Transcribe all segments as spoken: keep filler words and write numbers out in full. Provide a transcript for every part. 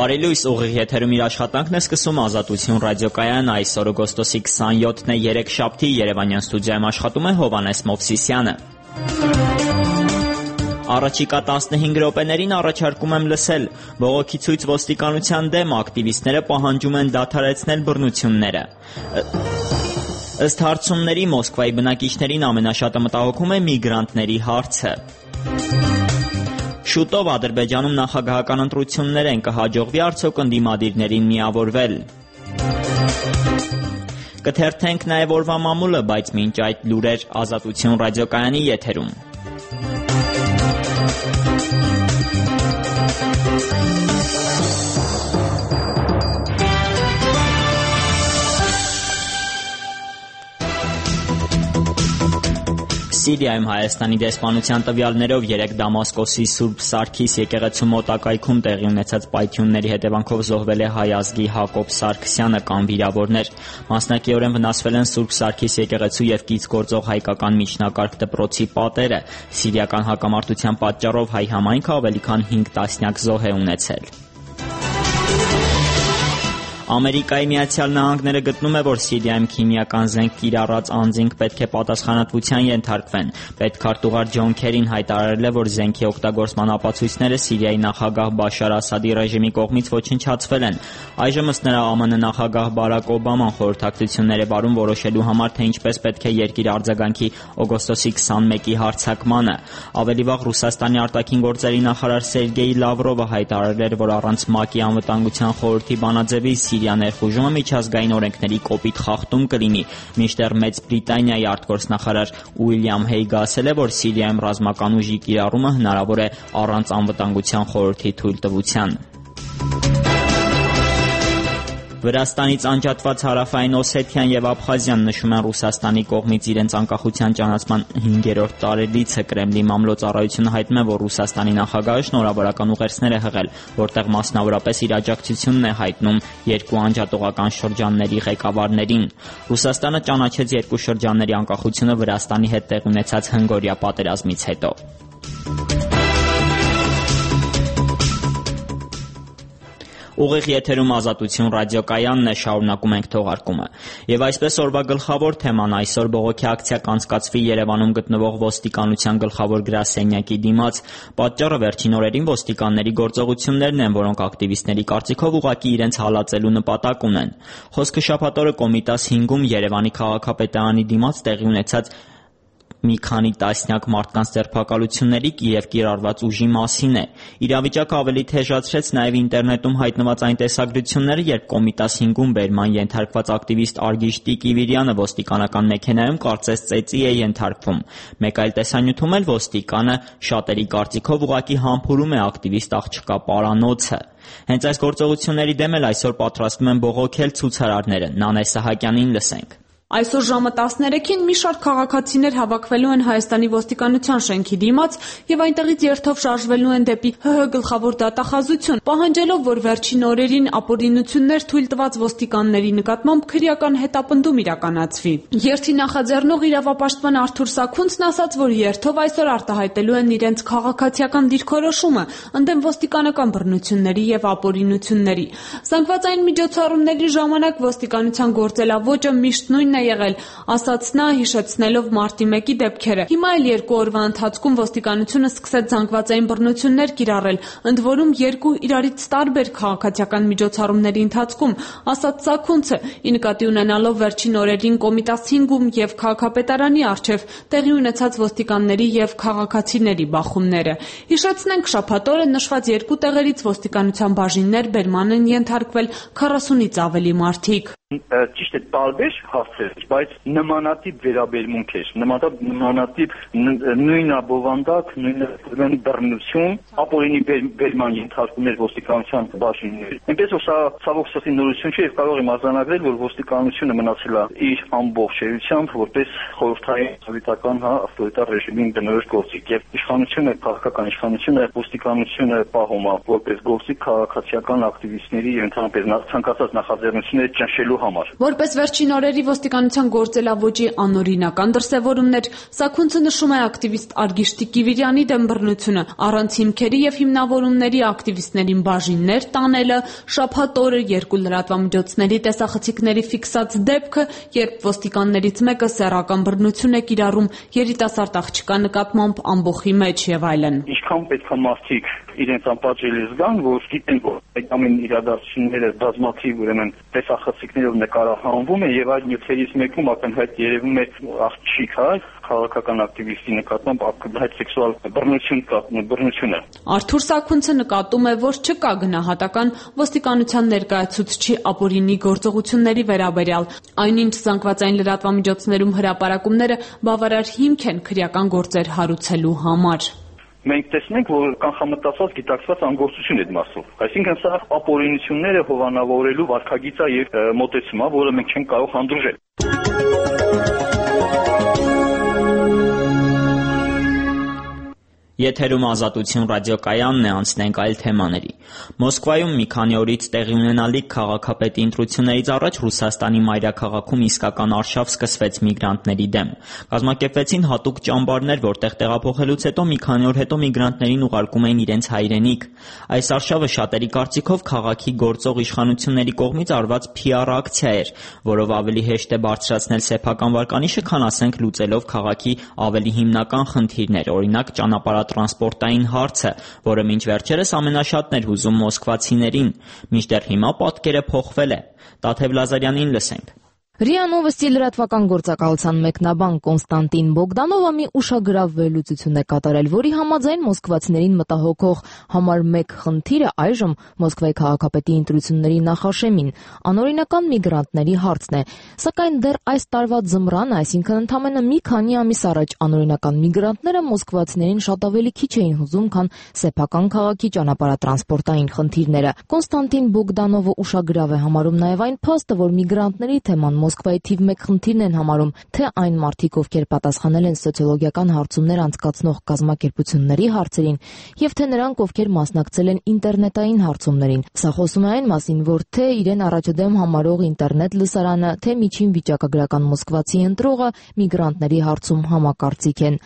Բարի լույս, ուղիղ եթերում իր աշխատանքն է սկսում Ազատություն ռադիոկայան, այսօր օգոստոսի քսանյոթն է, երեքշաբթի, Երևանյան ստուդիայում աշխատում է Հովհաննես Մովսիսյանը։ Առաջիկա տասնհինգ րոպեներին առաջարկում եմ լսել. բողոքի ցույց ոստիկանության դեմ, ակտիվիստները պահանջում են դադարեցնել բռնությունները։ Ըստ հարցումների Մոսկվայի բնակիչներին ամենաշատը մտահոգում է միգրանտների հարցը։ Շուտով Ադրբեջանում նախագահական ընտրություններ են, կհաջողվի արդյոք ընդդիմադիրներին միավորվել։ Կթերթենք նաև օրվա մամուլը, բայց մինչ այդ լուրեր Ազատություն ռադիոկայանի եթերում։ Սիրիայում Հայաստանի դեսպանության տվյալներով երեկ Դամասկոսի Սուրբ Սարգիս եկեղեցու մոտակայքում տեղի ունեցած պայթյունների հետևանքով զոհվել է հայ ազգի Հակոբ Սարգսյանը կամ վիրավորներ։ Մասնակիորեն վնասվել են Սուրբ Սարգիս եկեղեցու և կից գործող հայկական միջնակարգ դպրոցի պատերը։ Սիրիական հակամարտության պատճառով հայ համայնքը ավելի քան հինգ տասնյակ զոհ է ունեցել։ Ամերիկայի Միացյալ Նահանգները գտնում է, որ Սիրիայում քիմիական զենք կիրառած անձինք պետք է պատասխանատվության ենթարկվեն։ Պետքարտուղար Ջոն Քերին հայտարարել է, որ զենքի օգտագործման ապացույցները Սիրիայի նախագահ Բաշար Ասադի ռեժիմի կողմից ոչնչացվել են։ Այժմ ըստ նրա ԱՄՆ նախագահ Բարակ Օբաման խորհրդակցություններ է վարում որոշելու համար, թե ինչպես պետք է երկիրը արձագանքի օգոստոսի քսանմեկի հարձակմանը։ Ավելի վաղ Ռուսաստանի արտաքին գործերի նախարար Սերգեյ Լավրովը հայտարարել էր, որ առանց ՄԱԿ-ի անվտանգության խորհրդի բանաձևի Սիրիա ներխուժումը միջազգային օրենքների կոպիտ խախտում կլինի, մինչդեռ Մեծ Բրիտանիայի արտգործնախարար Ուիլյամ Հեյգը ասել է, որ Սիրիայում ռազմական ուժի կիրառումը հնարավոր է առանց անվտանգության խորհրդի թույլտվության։ Վրաստանից անջատված Հարավային Օսեթիան և Աբխազիան նշում են Ռուսաստանի կողմից իրենց անկախության ճանաչման հինգերորդ տարելիցը։ Կրեմլի մամլոյցարայությունը հայտնում է, որ Ռուսաստանի նախագահը շնորհավորական ուղերձներ է հղել, որտեղ մասնավորապես իր աջակցությունն է հայտնում երկու անջատողական շրջանների ղեկավարներին։ Ռուսաստանը ճանաչեց երկու շրջանների անկախությունը Վրաստանի հետ տեղի ունեցած հնգօրյա պատերազմից հետո։ Ուղիղ եթերում Ազատություն ռադիոկայանն է, շարունակում ենք թողարկումը։ Եվ այսպես օրվա գլխավոր թեման այսօր բողոքի ակցիա կանցկացվի Երևանում գտնվող ոստիկանության գլխավոր գրասենյակի դիմաց։ Պատճառը վերջին օրերին ոստիկանների գործողություններն են, որոնք ակտիվիստների կարծիքով ուղղակի իրենց հալածելու նպատակ ունեն։ Խոսքը շաբաթ օրը Կոմիտաս հինգում Երևանի քաղաքապետարանի դիմաց տեղի ունեցած մի քանի տասնյակ մարդկանց ձերբակալությունների և կիրառված ուժի մասին է։ Իրավիճակը ավելի թեժացրեց նաև ինտերնետում հայտնված այն տեսագրությունները, երբ Կոմիտաս հինգում բերման ենթարկված ակտիվիստ Արգիշ Տիկիվիրյանը ոստիկանական մեքենայում կարծես ծեծի է ենթարկվում։ Մեկ այլ տեսանյութում էլ ոստիկանը շատերի կարծիքով ուղղակի համբուրում է ակտիվիստ աղջկա պարանոցը։ Հենց այս գործողությունների դեմ էլ այսօր պատրաստվում են բողոքել ցուցարարները։ Նանե Սահակյանին լսենք։ Այսօր ժամը տասներեքին մի շարք քաղաքացիներ հավաքվելու են Հայաստանի ոստիկանության շենքի դիմաց և այնտեղից երթով շարժվելու են դեպի ՀՀ գլխավոր դատախազություն, պահանջելով, որ վերջին օրերին ապօրինություններ թույլ տված ոստիկանների նկատմամբ քրեական հետապնդում իրականացվի։ Երթի նախաձեռնող իրավապաշտպան Արթուր Սաքունցն ասաց, որ երթով այսօր արտահայտելու են իրենց քաղաքացիական դիրքորոշումը ընդդեմ ոստիկանական բռնությունների և ապօրինությունների։ Զանգվածային միջոցառումների ժամանակ ոստիկանության գործելավոճը միշտ նույնն է եղել, ասաց նա, հիշեցնելով մարտի մեկի դեպքերը։ Հիմա էլ երկու օրվա ընթացքում ոստիկանությունը սկսեց զանգվածային բռնություններ կիրառել, ընդ որում երկու իրարից տարբեր քաղաքացիական միջոցառումների ընթացքում, ասաց Սաքունցը, ի նկատի ունենալով վերջին օրերին Կոմիտաս հինգում և քաղաքապետարանի առջև տեղի ունեցած ոստիկանների և քաղաքացիների բախումները։ Հիշեցնենք, շաբաթ օրը նշված երկու տեղերից ոստիկանության բաժիններ բերման են ենթարկվել քառասունից ավելի մարդիկ։ Ճիշտ է, տարբեր հարցեր, բայց նմանատիպ վերաբերմունք էր, նմանատիպ նույնաբովանդակ, նույն բռնություն, ապօրինի բերման ենթարկում էր ոստիկանության բաժիններ։ Այնպես որ սա ցավոք սրտի նորություն չէ և կարող եմ արձանագրել, որ ոստիկանությունը մնացել է իր ամբողջ էությամբ որպես խորհրդային սովետական ավտորիտար ռեժիմին բնորոշ գործիք և իշխանությունը, քաղաքական իշխանությունը ոստիկանությունը պահում է որպես գործիք քաղաքացիական ակտիվիստների ընդհանրապես ցանկացած նախաձեռնությունները ճնշելու համար։ Որպես վերջին օրերի ոստիկանության գործելավոճի անօրինական դրսևորումներ, Սաքունցը նշում է ակտիվիստ Արգիշտի Կիվիրյանի դեմ բռնությունը, առանց հիմքերի եւ հիմնավորումների ակտիվիստներին բաժիններ տանելը, շաբաթ օրը երկու լրատվամիջոցների տեսախցիկների ֆիքսած դեպքը, երբ ոստիկաններից մեկը սեռական բռնություն է կիրառում երիտասարդ աղջկա նկատմամբ ամբոխի մեջ եւ այլն։ Ինչքան պետք է մարդիկ իրենց անպատժելի զգան, որ գիտեն, որ այդ ամեն իրադարձությունները բազմաթիվ ուրեմն տեսախցիկներով նկարահանվում է եւ այդ նյութերից մեկում ակնհայտ երևում է աղջիկ, հա, քաղաքական ակտիվիստի նկատմամբ ակնհայտ սեքսուալ բռնություն կա, բռնությունը։ Արթուր Սաքունցը նկատում է, որ չկա գնահատական ոստիկանության ներկայացուցչի ապօրինի գործողությունների վերաբերյալ, այնինչ զանգվածային լրատվամիջոցներում հրապարակումները բավարար հիմք են քրեական գործեր հարուցելու համար։ Մենք տեսնենք, որ կանխամտածված գիտակցված անգործություն է այդ մասով։ Այսինքն սա ապօրինությունները հովանավորելու վարքագիծ է եւ մոտեցում է, որը մենք չենք կարող հանդուրժել։ Եթերում Ազատություն ռադիոկայանն է, անցնենք այլ թեմաների։ Մոսկվայում մի քանի օրից տեղի ունենալիք քաղաքապետի ընտրություններից առաջ Ռուսաստանի մայրաքաղաքում իսկական արշավ սկսվեց միգրանտների դեմ։ Կազմակերպվեցին հատուկ ճամբարներ, որտեղ տեղափոխելուց հետո մի քանի օր հետո միգրանտներին ուղարկում էին իրենց հայրենիք։ Այս արշավը շատերի կարծիքով քաղաքի գործող իշխանությունների կողմից արված փի ար ակցիա էր, որով ավելի հեշտ է բարձրացնել սեփական վարկանիշը, քան ասենք լուծելով քաղաքի ավելի հիմնական խնդիրներ, օրինակ ճանապարհատրանսպորտային հարցը, որը մինչ վերջերս ամենաշատն էր հուզում մոսկվացիներին։ Մինչդեռ հիմա պատկերը փոխվել է։ Տաթև Լազարյանին լսենք։ ՌԻԱ Նովոստի լրատվական գործակալության մեկնաբան Կոնստանտին Բոգդանովը մի ուշագրավ վերլուծություն է կատարել, որի համաձայն մոսկվացիներին մտահոգող համար մեկ խնդիրը այժմ Մոսկվայի քաղաքապետի ընտրությունների նախաշեմին անօրինական միգրանտների հարցն է, սակայն դեռ այս տարվա ձմռանը, այսինքն ընդամենը մի քանի ամիս առաջ անօրինական միգրանտները մոսկվացիներին շատ ավելի քիչ էին հուզում, քան սեփական քաղաքի ճանապարհատրանսպորտային խնդիրները։ Կոնստանտին Բոգդանովը ուշագրավ է համարում նաև այն փաստը, որ միգրանտների թեման Մոսկվայի թիվ մեկ խնդիրն են համարում, թե այն մարդիկ, ովքեր պատասխանել են սոցիոլոգիական հարցումներ անցկացնող կազմակերպությունների հարցերին, եւ թե նրանք, ովքեր մասնակցել են ինտերնետային հարցումներին։ Սա խոսում է այն մասին, որ թե իրեն առաջադեմ համարող ինտերնետ լսարանը, թե միջին վիճակագրական մոսկվացի ընտրողը միգրանտների հարցում համակարծիք են։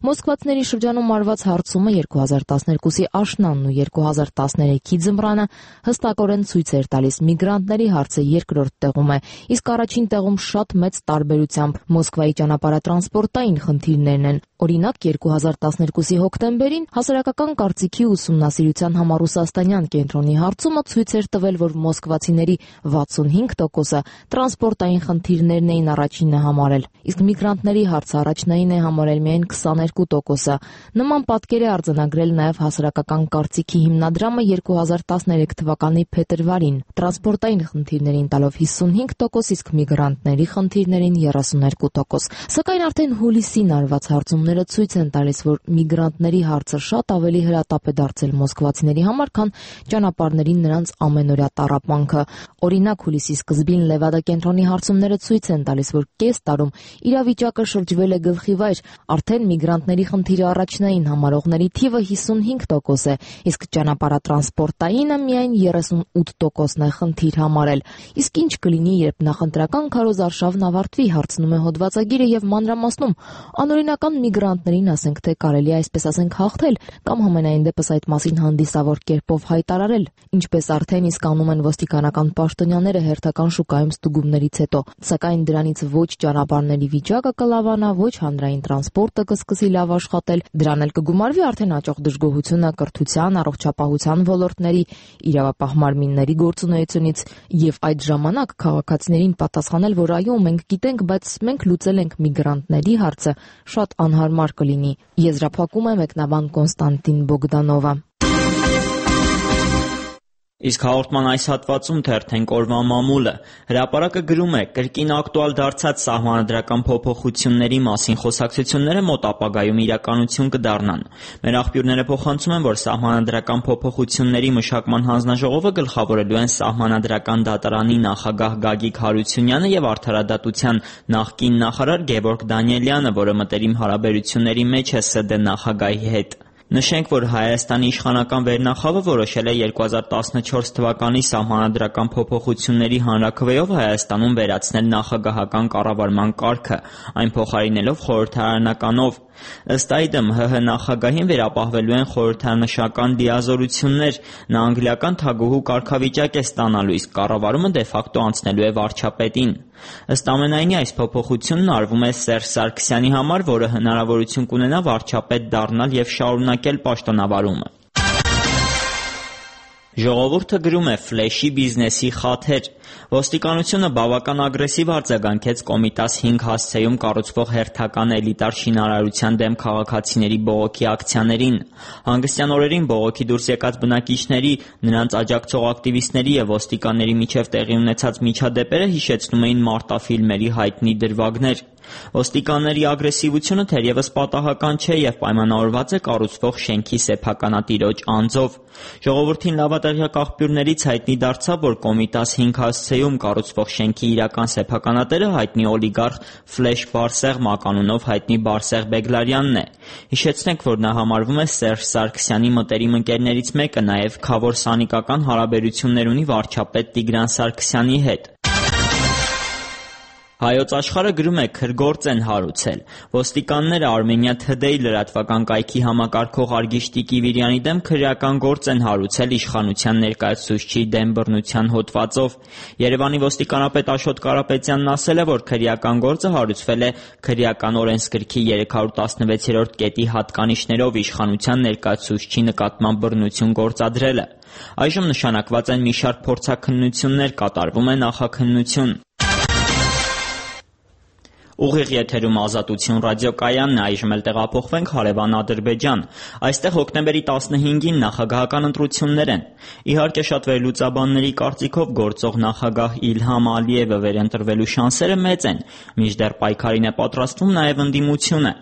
Մոսկվացիների շրջանում արված հարցումը երկու հազար տասներկուսի աշնանն ու երկու հազար տասներեքի ձմռանը հստակորեն ցույց էր տալիս միգրանտների հարցը երկրորդ տեղում է, իսկ առաջին տեղում շատ մեծ տարբերությամբ Մոսկվայի ճանապարհատրանսպորտային խնդիրներն են։ Օրինակ երկու հազար տասներկուսի հոկտեմբերին հասարակական կարծիքի ուսումնասիրության համառուսաստանյան կենտրոնի հարցումը ցույց էր տվել, որ մոսկվացիների վաթսունհինգ տոկոսը տրանսպորտային խնդիրներն էին առաջինը համարել, իսկ միգրանտների հարցը առաջնային է համարել միայն քսաներկու տոկոսը։ Նման պատկեր է արձանագրել նաև հասարակական կարծիքի հիմնադրամը երկու հազար տասներեք թվականի փետրվարին, տրանսպորտային խնդիրներին տալով հիսունհինգ տոկոս, իսկ միգրանտների խնդիրներին երեսուներկու տոկոս։ Սակայն արդեն հուլիսին արված հարցումները ցույց են տալիս, որ միգրանտների հարցը շատ ավելի հրատապ է դարձել մոսկվացիների համար, քան ճանապարհներին նրանց ամենօրյա տառապանքը։ Օրինակ հուլիսի սկզբին Լևադա կենտրոնի հարցումները ցույց են տալիս, որ կես տարում իրավիճակը շրջվել է գլխիվայր, արդեն միգրանտների խնդիրը առաջնային համարողների թիվը հիսունհինգ տոկոս է, իսկ ճանապարհատրանսպորտայինը միայն երեսունութ տոկոսն է խնդիր համարել։ Իսկ ինչ կլինի, երբ նախընտրական քարոզարշավն ավարտվի, հարցնում է հոդվածագիրը եւ մանրամասնում, անօրինական միգրանտներին ասենք թե կարելի է այսպես ասենք հաղթել կամ համենայն դեպս այդ մասին հանդիսավոր կերպով հայտարարել, ինչպես արդեն իսկ անում են ոստիկանական պաշտոնյաները հերթական շուկայում ստուգումներից հետո, սակայն դրանից ոչ ճանապարհների վիճակը կլավանա, ոչ հանրային տրանսպորտը կսկսի լավ աշխատել, դրան էլ կգումարվի արդեն աճող դժգոհությունը կրթության, առողջապահության ոլորտների, իրավապահ մարմինների գործունեությունից եւ այդ ժամանակ քաղաքացիներին պատասխանել, որ այո, մենք գիտենք, բայց մենք լուծել ենք միգրանտների հարցը, շատ անհարմար կլինի։ Եզրափակում է մեկնաբան Կոնստանտին Բոգդանովը։ Իսկ հաղորդման այս հատվածում թերթենք օրվա մամուլը։ Հրապարակը գրում է. կրկին ակտուալ դարձած սահմանադրական փոփոխությունների մասին խոսակցությունները մոտ ապագայում իրականություն կդառնան։ Մեր աղբյուրները փոխանցում են, որ սահմանադրական փոփոխությունների մշակման հանձնաժողովը գլխավորելու են սահմանադրական դատարանի նախագահ Գագիկ Հարությունյանը եւ արդարադատության նախկին նախարար Գևորգ Դանիելյանը, որը մտերիմ հարաբերությունների մեջ է ՍԴ նախագահի հետ։ Նշենք, որ Հայաստանի իշխանական վերնախավը որոշել է երկու հազար տասնչորս թվականի սահմանադրական փոփոխությունների հանրաքվեով Հայաստանում վերացնել նախագահական կառավարման կարգը, այն փոխարինելով խորհրդարանականով։ Ըստ այդմ ՀՀ նախագահին վերապահվելու են խորհրդանշական դիազորություններ, նա անգլիական թագուհու կարգավիճակ է ստանալու, իսկ կառավարումը դե ֆակտո անցնելու է վարչապետին։ Ըստ ամենայնի, այս փոփոխությունն արվում է Սերժ Սարգսյանի համար, որը հնարավորություն կունենա վարչապետ դառնալ եւ շարունակել պաշտոնավարումը։ Ժողովուրդը գրում է ֆլեշի բիզնեսի խաթեր։ Ոստիկանությունը բավական ագրեսիվ արձագանքեց Կոմիտաս հինգ հասցեում կառուցվող հերթական էլիտար շինարարության դեմ քաղաքացիների բողոքի ակցիաներին։ Հանգստյան օրերին բողոքի դուրս եկած բնակիչների, նրանց աջակցող ակտիվիստների եւ ոստիկանների միջև տեղի ունեցած միջադեպերը հիշեցնում էին մարտաֆիլմերի հայտնի դրվագներ։ Ոստիկանների ագրեսիվությունը թերևս պատահական չէ եւ պայմանավորված է կառուցվող շենքի սեփականատիրոջ անձով։ Ժողովրդին լավատեղյակ աղբյուրներից հայտնի դարձավ, որ Կոմիտաս հինգ հասցեում կառուցվող շենքի իրական սեփականատերը հայտնի օլիգարխ Ֆլեշ Բարսեղ մականունով հայտնի Բարսեղ Բեգլարյանն է։ Հիշեցնենք, որ նա համարվում է Սերժ Սարգսյանի մտերիմ ընկերներից մեկը, նաեւ խավոր սանիկական հարաբերություններ ունի վարչապետ Տիգրան Սարգսյանի հետ։ Հայոց աշխարհը գրում է քրգործ են հարուցել։ Ոստիկանները Armenia Today լրատվական կայքի համակարգող Արգիշտի Կիվիրյանի դեմ քրեական գործ են հարուցել իշխանության ներկայացուցչի դեմ բռնության հոդվածով։ Երևանի ոստիկանապետ Աշոտ Կարապետյանն ասել է, որ քրեական գործը հարուցվել է քրեական օրենսգրքի երեք հարյուր տասնվեցերորդ կետի հատկանիշներով իշխանության ներկայացուցչի նկատմամբ բռնություն գործադրելը։ Այժմ նշանակված են մի շարք փորձաքննություններ, կատարվում է նախաքննություն։ Ուղիղ եթերում Ազատություն ռադիոկայանն է, այժմ էլ տեղափոխվենք հարևան Ադրբեջան։ Այստեղ հոկտեմբերի տասնհինգին նախագահական ընտրություններ են։ Իհարկե շատ վերլուծաբանների կարծիքով գործող նախագահ Իլհամ Ալիևը վերընտրվելու շանսերը մեծ են, մինչդեռ պայքարին է պատրաստվում նաև ընդդիմությունը։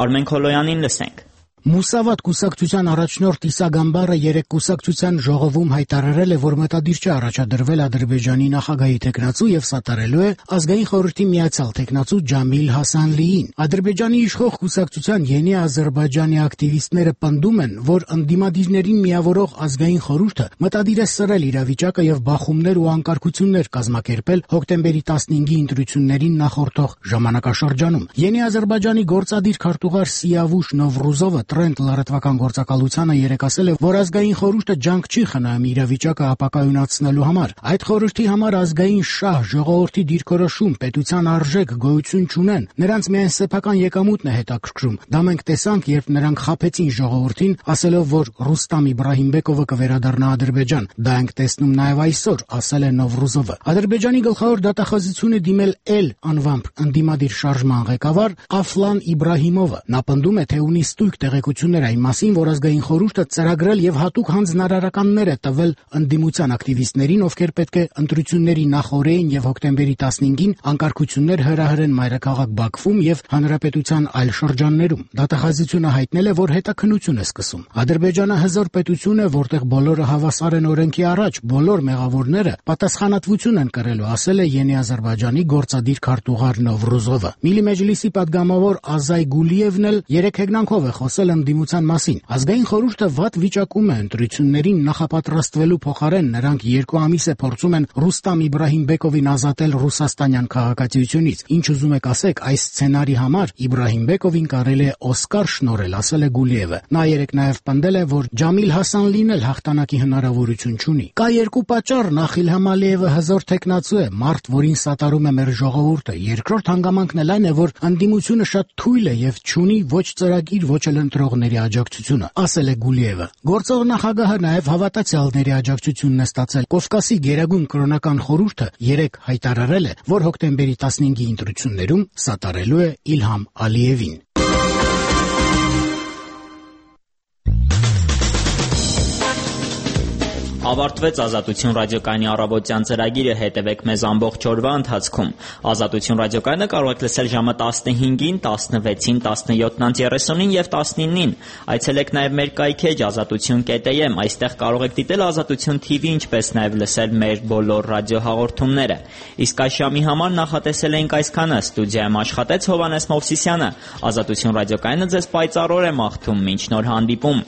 Արմեն Քոլոյանին լսենք։ Մուսավատ կուսակցության առաջնորդ Իսա Գամբարը երեկ կուսակցության ժողովում հայտարարել է, որ մտադիր չէ առաջադրվել Ադրբեջանի նախագահի թեկնածու եւ սատարելու է ազգային խորհրդի միացյալ թեկնածու Ջամիլ Հասանլիին։ Ադրբեջանի իշխող կուսակցության Յենի Ադրբեջանի ակտիվիստները պնդում են, որ ընդդիմադիրներին միավորող ազգային խորհուրդը մտադիր է սրել իրավիճակը եւ բախումներ ու անկարգություններ կազմակերպել հոկտեմբերի տասնհինգի ընտրություններին նախորդող ժամանակաշրջանում։ Յենի Ադրբեջանի գործադիր քարտուղար Սիավուշ Նովրուզովը Տրենդ լրատվական գործակալությանը երեկ ասել է, որ ազգային խորհուրդը ջանք չի խնայում իրավիճակը ապակայունացնելու համար։ Այդ խորհրդի համար ազգային շահ, ժողովրդի դիրքորոշում, պետության արժեք գոյություն չունեն։ Նրանց միայն սեփական եկամուտն է հետաքրքրում։ Դա մենք տեսանք, երբ նրանք խաբեցին ժողովրդին, ասելով, որ Ռուստամ Իբրահիմբեկովը կվերադառնա Ադրբեջան։ Դա ենք տեսնում նաև այսօր, ասել է Նովրուզովը։ Ադրբեջանի գլխավոր դատախազությունը դիմել Էլ անվամբ ընդդիմադիր շարժման ղեկավար Աֆլան Իբրահիմովը։ Նա պնդում է, թե ունի ստույգ տեղեկություններ այն մասին, որ ազգային խորհուրդը ծրագրել եւ հատուկ հանձնարարականներ է տվել ընդդիմության ակտիվիստներին, ովքեր պետք է ընտրությունների նախօրեին եւ հոկտեմբերի տասնհինգին անկարգություններ հրահրեն մայրաքաղաք Բաքվում եւ հանրապետության այլ շրջաններում։ Դատախազությունը հայտնել է, որ հետաքննություն է սկսում։ Ադրբեջանը հզոր պետություն է, որտեղ բոլորը հավասար են օրենքի առաջ, բոլոր մեղավորները պատասխանատվություն են կրելու, ասել է Յենի Ադրբեջանի գործադիր քարտուղար Նովրուզովը։ Միլի Մեջլիսի պատգամավոր Ազայ Գուլիևն էլ երեք հեգնանքով է խոսել ընդդիմության մասին։ Ազգային խորհուրդը վատ վիճակում է ընտրություններին նախապատրաստվելու փոխարեն նրանք երկու ամիս է փորձում են Ռուստամ Իբրահիմբեկովին ազատել ռուսաստանյան քաղաքացիությունից։ Ինչ ուզում եք ասեք, այս սցենարի համար Իբրահիմբեկովին կարելի է Օսկար շնորհել, ասել է Գուլիևը։ Նա երեկ նաև պնդել է, որ Ջամիլ Հասանլին էլ հաղթանակի հնարավորություն չունի։ Կա երկու պատճառ, նախ Իլհամ Ալիևը հզոր թեկնածու է, մարդ, որին սատարում է մեր ժողովուրդը։ Երկրորդ հանգամանքն էլ այն է, որ ընդդիմությունը շատ թույլ է եւ չունի ոչ ծրագիր, ոչ էլ ընտրողների աջակցությունը, ասել է Գուլիևը։ Գործող նախագահը նաև հավատացյալների աջակցությունն է ստացել։ Կովկասի գերագույն կրոնական խորհուրդը երեկ հայտարարել է, որ հոկտեմբերի տասնհինգի ընտրություններում սատարելու է Իլհամ Ալիևին։ Ավարտվեց Ազատություն ռադիոկայանի առավոտյան ծրագիրը, հետևեք մեզ ամբողջ օրվա ընթացքում։ Ազատություն ռադիոկայանը կարող եք լսել ժամը տասնհինգին, տասնվեցին, տասնյոթին երեսունին եւ տասնինին։ Այցելեք նաեւ մեր կայքեջ ազատություն կետ է էմ, այստեղ կարող եք դիտել Ազատություն թի վի, ինչպես նաեւ լսել մեր բոլոր ռադիոհաղորդումները։ Իսկ այս ժամի համար նախատեսել էինք այսքանը։ Ստուդիայում աշխատեց Հովհաննես Մովսիսյանը։ Ազատություն ռադիոկայանը ձեզ պայծառ օր է մաղթում, մինչ նոր հանդիպում։